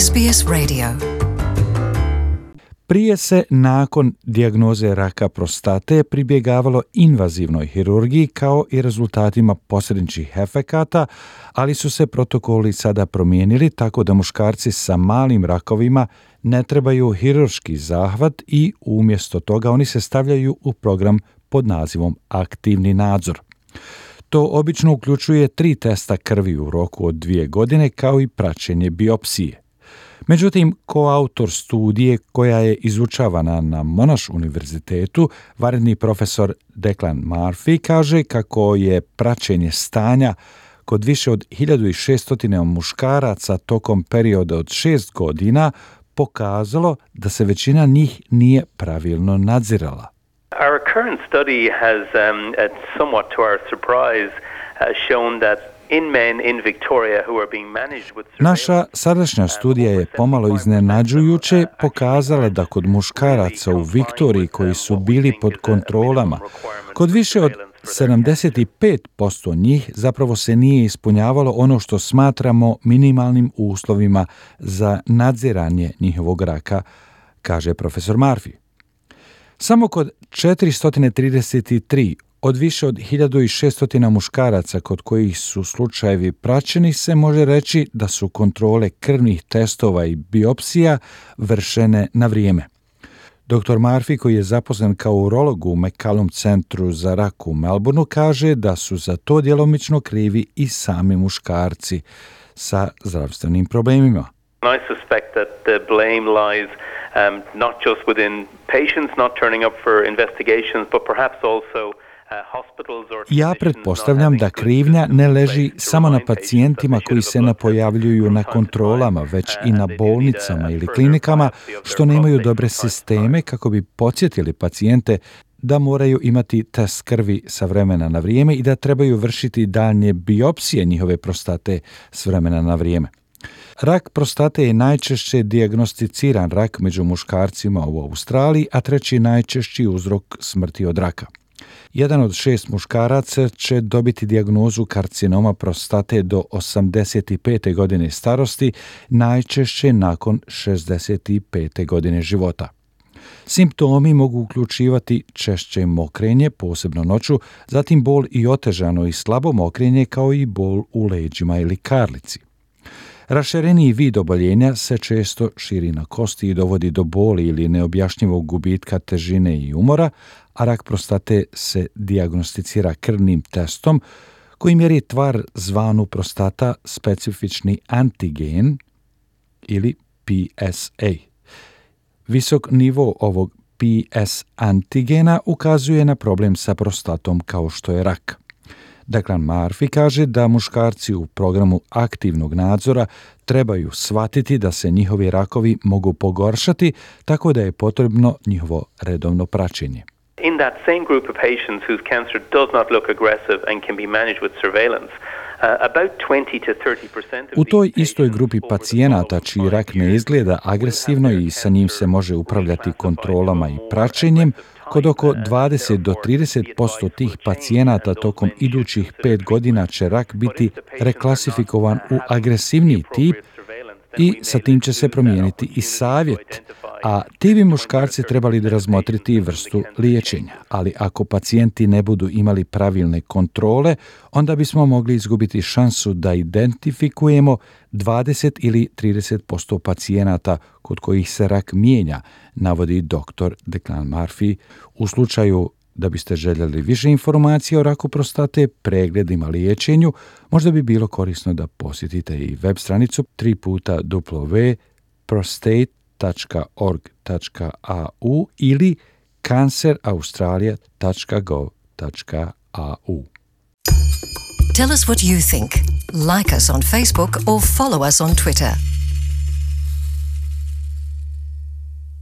SBS Radio. Prije se nakon dijagnoze raka prostate pribjegavalo invazivnoj hirurgiji kao i rezultatima posredničkih efekata, ali su se protokoli sada promijenili tako da muškarci sa malim rakovima ne trebaju hirurški zahvat i umjesto toga oni se stavljaju u program pod nazivom aktivni nadzor. To obično uključuje 3 testa krvi u roku od 2 godine kao i praćenje biopsije. Međutim, koautor studije koja je izučavana na Monash univerzitetu, vanredni profesor Declan Murphy, kaže kako je praćenje stanja kod više od 1600 muškaraca tokom perioda od 6 godina pokazalo da se većina njih nije pravilno nadzirala. Our current study has, somewhat to our surprise, shown that in men in Victoria who are being managed with Naša sadašnja studija je pomalo iznenađujuće pokazala da kod muškaraca u Viktoriji koji su bili pod kontrolama, kod više od 75% njih zapravo se nije ispunjavalo ono što smatramo minimalnim uslovima za nadziranje njihovog raka, kaže profesor Murphy. Samo kod 433 od više od 1600 muškaraca kod kojih su slučajevi praćeni se može reći da su kontrole krvnih testova i biopsija vršene na vrijeme. Dr. Murphy, koji je zaposlen kao urolog u McCallum centru za rak u Melbourneu, kaže da su za to djelomično krivi i sami muškarci sa zdravstvenim problemima. I suspect that the blame lies not just within patients not turning up for investigations, but perhaps also Ja pretpostavljam da krivnja ne leži samo na pacijentima koji se ne pojavljuju na kontrolama, već i na bolnicama ili klinikama što nemaju dobre sisteme kako bi podsjetili pacijente da moraju imati test krvi sa vremena na vrijeme i da trebaju vršiti daljnje biopsije njihove prostate s vremena na vrijeme. Rak prostate je najčešće dijagnosticiran rak među muškarcima u Australiji, a 3. najčešći uzrok smrti od raka. 1 od 6 muškaraca će dobiti dijagnozu karcinoma prostate do 85. godine starosti, najčešće nakon 65. godine života. Simptomi mogu uključivati češće mokrenje, posebno noću, zatim bol i otežano i slabo mokrenje kao i bol u leđima ili karlici. Rašireniji vid oboljenja se često širi na kosti i dovodi do boli ili neobjašnjivog gubitka težine i umora, a rak prostate se dijagnosticira krvnim testom koji mjeri tvar zvanu prostata specifični antigen ili PSA. Visok nivo ovog PS antigena ukazuje na problem sa prostatom kao što je rak. Declan Murphy kaže da muškarci u programu aktivnog nadzora trebaju shvatiti da se njihovi rakovi mogu pogoršati, tako da je potrebno njihovo redovno praćenje. In that same group of patients whose cancer does not look aggressive and can be managed with surveillance, about 20 to 30% U toj istoj grupi pacijenata čiji rak ne izgleda agresivno i sa njim se može upravljati kontrolama i praćenjem, kod oko 20 do 30% tih pacijenata tokom idućih 5 godina će rak biti reklasifikovan u agresivniji tip i sa tim će se promijeniti i savjet, a ti bi muškarci trebali da razmotriti vrstu liječenja. Ali ako pacijenti ne budu imali pravilne kontrole, onda bismo mogli izgubiti šansu da identifikujemo 20 ili 30% pacijenata kod kojih se rak mijenja, navodi dr. Declan Murphy. U slučaju da biste željeli više informacija o raku prostate, pregledima, liječenju, možda bi bilo korisno da posjetite i web stranicu www.prostate.org.au ili canceraustralia.gov.au. Tell us what you think. Like us on Facebook or follow us on Twitter.